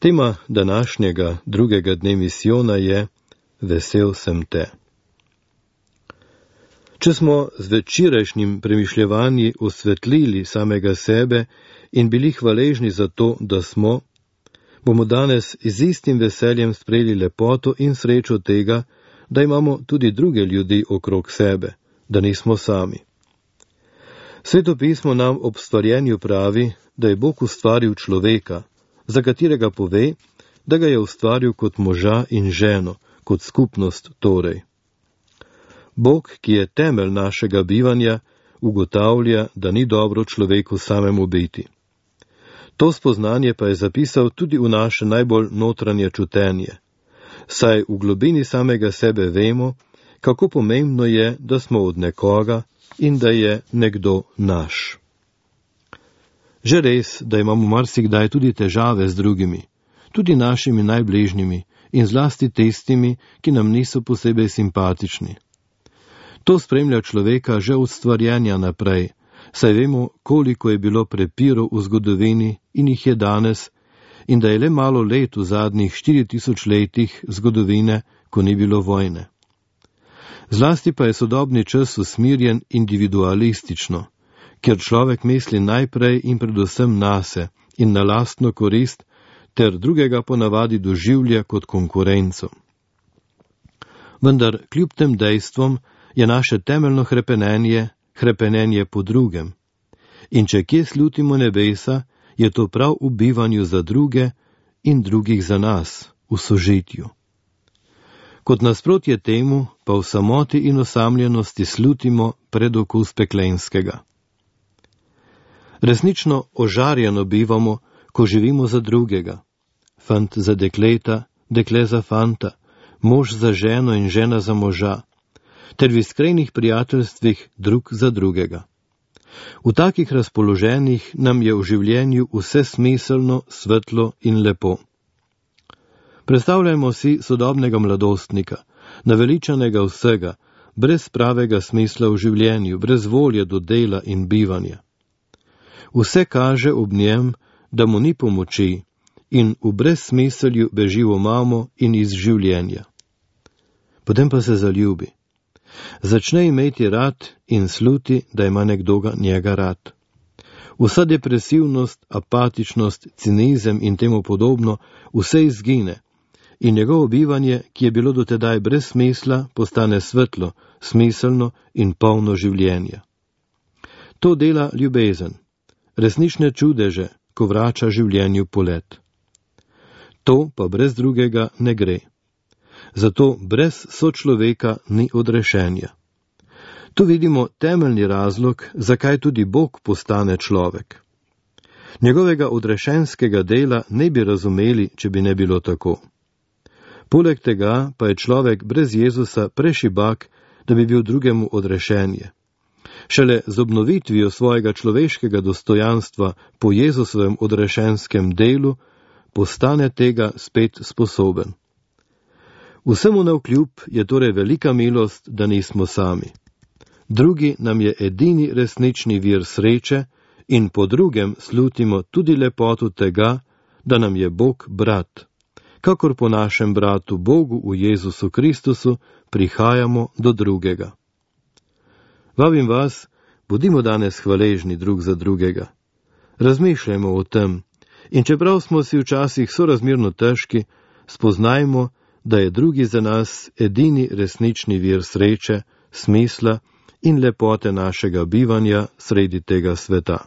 Tema današnjega drugega dne misijona je Vesel sem te. Če smo z včerajšnjim premišljevanji osvetlili samega sebe in bili hvaležni za to, da smo, bomo danes z istim veseljem sprejeli lepoto in srečo tega, da imamo tudi druge ljudi okrog sebe, da nismo sami. Sveto pismo nam ob stvarjenju pravi, da je Bog ustvaril človeka, za katerega pove, da ga je ustvaril kot moža in ženo, kot skupnost torej. Bog, ki je temelj našega bivanja, ugotavlja, da ni dobro človeku samemu biti. To spoznanje pa je zapisal tudi v naše najbolj notranje čutenje, saj v globini samega sebe vemo, kako pomembno je, da smo od nekoga in da je nekdo naš. Že res, da imamo marsikdaj tudi težave z drugimi, tudi našimi najbližnjimi in zlasti tistimi, ki nam niso posebej simpatični. To spremlja človeka že od stvarjenja naprej, saj vemo, koliko je bilo prepirov v zgodovini in jih je danes, in da je le malo let v zadnjih 4000 letih zgodovine, ko ni bilo vojne. Zlasti pa je sodobni čas usmirjen individualistično, kjer človek misli najprej in predvsem nase in na lastno korist, ter drugega ponavadi doživlja kot konkurenco. Vendar kljub tem dejstvom je naše temeljno hrepenenje po drugem. In če kje slutimo nebesa, je to prav v bivanju za druge in drugih za nas, v sožitju. Kot nasprotje temu, pa v samoti in osamljenosti slutimo predokus peklenskega. Resnično ožarjeno bivamo, ko živimo za drugega. Fant za dekleta, dekle za fanta, mož za ženo in žena za moža, ter v iskrenih prijateljstvih drug za drugega. V takih razpoloženjih nam je v življenju vse smiselno, svetlo in lepo. Predstavljajmo si sodobnega mladostnika, naveličanega vsega, brez pravega smisla v življenju, brez volje do dela in bivanja. Vse kaže ob njem, da mu ni pomoči in v brezsmiselju beži v mamo in iz življenja. Potem pa se zaljubi. Začne imeti rad in sluti, da ima nekdo njega rad. Vsa depresivnost, apatičnost, cinizem in temu podobno, vse izgine in njegovo bivanje, ki je bilo dotedaj brez smisla, postane svetlo, smiselno in polno življenja. To dela ljubezen, resnične čudeže, ko vrača življenju polet. To pa brez drugega ne gre. Zato brez sočloveka ni odrešenja. Tu vidimo temeljni razlog, zakaj tudi Bog postane človek. Njegovega odrešenskega dela ne bi razumeli, če bi ne bilo tako. Poleg tega pa je človek brez Jezusa prešibak, da bi bil drugemu odrešenje. Šele z obnovitvijo svojega človeškega dostojanstva po Jezusovem odrešenskem delu postane tega spet sposoben. Vsemu navkljub je torej velika milost, da nismo sami. Drugi nam je edini resnični vir sreče in po drugem slutimo tudi lepoto tega, da nam je Bog brat. Kakor po našem bratu Bogu v Jezusu Kristusu prihajamo do drugega. Vabim vas, bodimo danes hvaležni drug za drugega. Razmišljajmo o tem in čeprav smo si včasih sorazmerno težki, spoznajmo, da je drugi za nas edini resnični vir sreče, smisla in lepote našega bivanja sredi tega sveta.